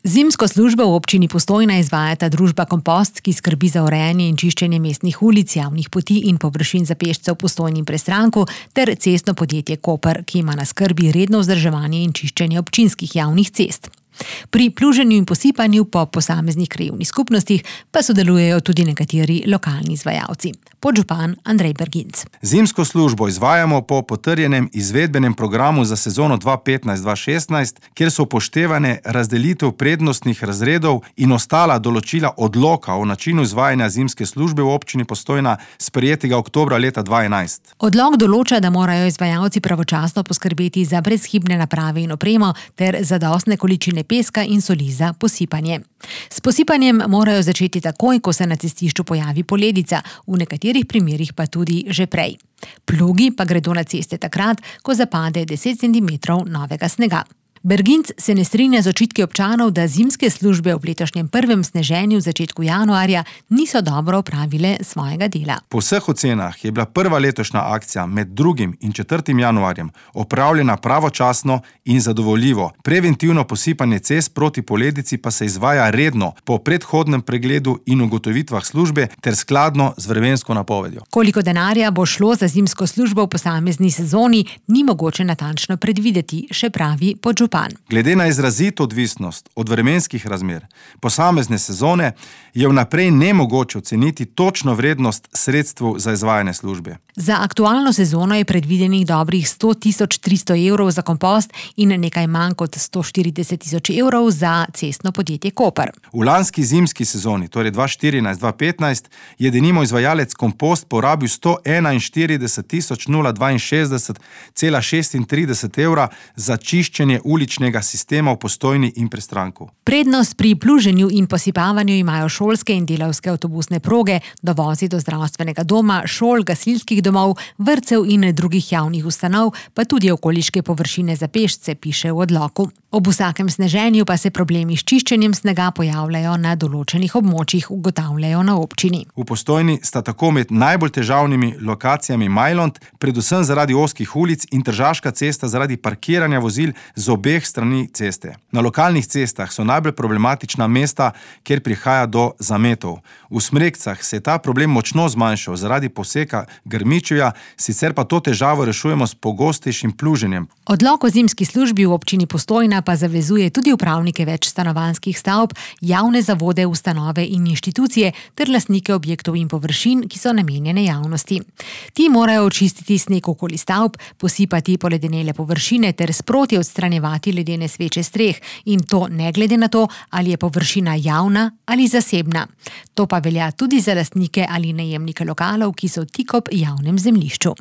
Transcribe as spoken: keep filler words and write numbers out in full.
Zimsko službo v občini Postojna izvajata družba Kompost, ki skrbi za urejanje in čiščenje mestnih ulic, javnih poti in površin za pešce v Postojni in Prestranku, ter cestno podjetje Koper, ki ima na skrbi redno vzdrževanje in čiščenje občinskih javnih cest. Pri pluženju in posipanju po posameznih krajevnih skupnostih pa sodelujejo tudi nekateri lokalni izvajalci. Podžupan Andrej Berginc. Zimsko službo izvajamo po potrjenem izvedbenem programu za sezono dva petnajst dva šestnajst, kjer so upoštevane razdelitev prednostnih razredov in ostala določila odloka o načinu izvajanja zimske službe v občini Postojna, sprejetega oktobra leta dva enajst. Odlok določa, da morajo izvajalci pravočasno poskrbeti za brezhibne naprave in opremo ter zadostne količine peska in soli za posipanje. S posipanjem morajo začeti takoj, ko se na cestišču pojavi poledica, v nekaterih primerih pa tudi že prej. Plugi pa gredo na ceste takrat, ko zapade deset centimetrov novega snega. Berginc se ne strinja z očitki občanov, da zimske službe v letošnjem prvem sneženju v začetku januarja niso dobro opravile svojega dela. Po vseh ocenah je bila prva letošnja akcija med drugim in četrtim januarjem opravljena pravočasno in zadovoljivo. Preventivno posipanje cest proti poledici pa se izvaja redno po predhodnem pregledu in ugotovitvah službe ter skladno z vremensko napovedjo. Koliko denarja bo šlo za zimsko službo v posamezni sezoni, ni mogoče natančno predvideti, še pravi podžupan. Glede na izrazito odvisnost od vremenskih razmer posamezne sezone je vnaprej nemogoče oceniti točno vrednost sredstev za izvajanje službe. Za aktualno sezono je predvidenih dobrih sto tisoč tristo evrov za kompost in nekaj manj kot sto štirideset tisoč evrov za cestno podjetje Koper. V lanski zimski sezoni, torej dva štirinajst dva petnajst, je denimo izvajalec Kompost porabil sto enainštirideset tisoč dvainšestdeset cela šestintrideset evra za čiščenje uličnega sistema v Postojni in Prestranku. Prednost pri pluženju in posipavanju imajo šolske in delavske avtobusne proge, dovozi do zdravstvenega doma, šol, gasilskih domov, vrtcev in drugih javnih ustanov, pa tudi okoliške površine za pešce, piše v odloku. Ob vsakem sneženju pa se problemi s čiščenjem snega pojavljajo na določenih območjih, ugotavljajo na občini. V Postojni sta tako med najbolj težavnimi lokacijami Majlont, predvsem zaradi ozkih ulic, in Tržaška cesta zaradi parkiranja vozil z obeh strani ceste. Na lokalnih cestah so najbolj problematična mesta, kjer prihaja do zametov. V Smrekcah se je ta problem močno zmanjšal zaradi poseka Grmičevja, sicer pa to težavo rešujemo s pogostejšim pluženjem. Odlok o zimski službi v občini Postojna pa zavezuje tudi upravnike več stanovanjskih stavb, javne zavode, ustanove in inštitucije ter lastnike objektov in površin, ki so namenjene javnosti. Ti morajo očistiti sneg okoli stavb, posipati poledenele površine ter sproti odstranjevati ledene sveče streh, in to ne glede na to, ali je površina javna ali zasebna. To pa velja tudi za lastnike ali najemnike lokalov, ki so tik ob javnem zemljišču.